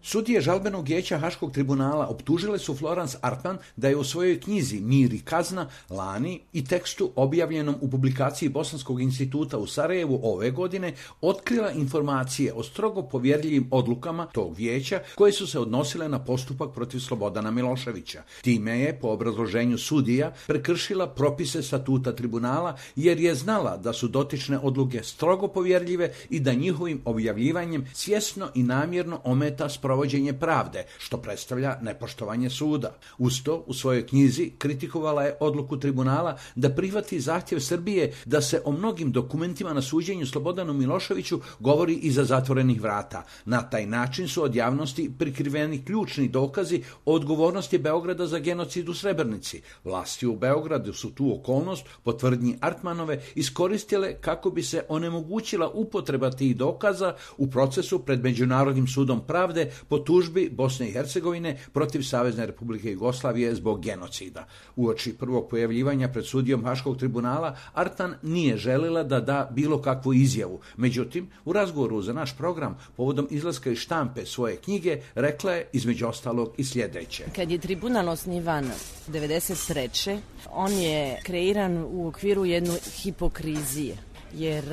Sudije žalbenog vijeća Haškog tribunala optužile su Florence Artman da je u svojoj knjizi Mir i kazna lani i tekstu objavljenom u publikaciji Bosanskog instituta u Sarajevu ove godine otkrila informacije o strogo povjerljivim odlukama tog vijeća koje su se odnosile na postupak protiv Slobodana Miloševića. Time je, po obrazloženju sudija, prekršila propise statuta tribunala jer je znala da su dotične odluke strogo povjerljive i da njihovim objavljivanjem svjesno i namjerno ometa provođenje pravde, što predstavlja nepoštovanje suda. Uz to, u svojoj knjizi kritikovala je odluku tribunala da prihvati zahtjev Srbije da se o mnogim dokumentima na suđenju Slobodanu Miloševiću govori iza zatvorenih vrata. Na taj način su od javnosti prikriveni ključni dokazi o odgovornosti Beograda za genocid u Srebrenici. Vlasti u Beogradu su tu okolnost, po tvrdnji Artmanove, iskoristile kako bi se onemogućila upotreba tih dokaza u procesu pred Međunarodnim sudom pravde po tužbi Bosne i Hercegovine protiv Savezne Republike Jugoslavije zbog genocida. Uoči prvog pojavljivanja pred sudijom Haškog tribunala, Artman nije željela da da bilo kakvu izjavu. Međutim, u razgovoru za naš program povodom izlaska iz štampe svoje knjige rekla je između ostalog i sljedeće. Kad je tribunal osnivan 1993. on je kreiran u okviru jedne hipokrizije. Jer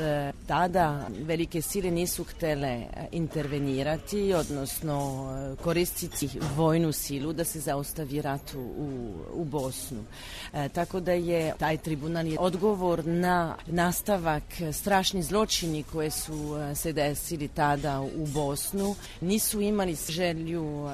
tada velike sile nisu htjele intervenirati, odnosno koristiti vojnu silu da se zaustavi rat u Bosnu. Tako da je taj tribunal odgovor na nastavak strašni zločini koje su se desili tada u Bosnu, nisu imali želju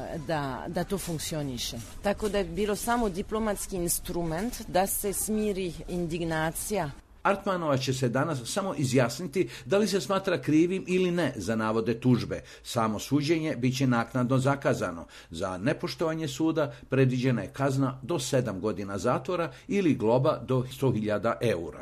da to funkcioniše. Tako da je bilo samo diplomatski instrument da se smiri indignacija. Artmanova će se danas samo izjasniti da li se smatra krivim ili ne za navode tužbe. Samo suđenje bit će naknadno zakazano. Za nepoštovanje suda predviđena je kazna do 7 godina zatvora ili globa do 100.000 eura.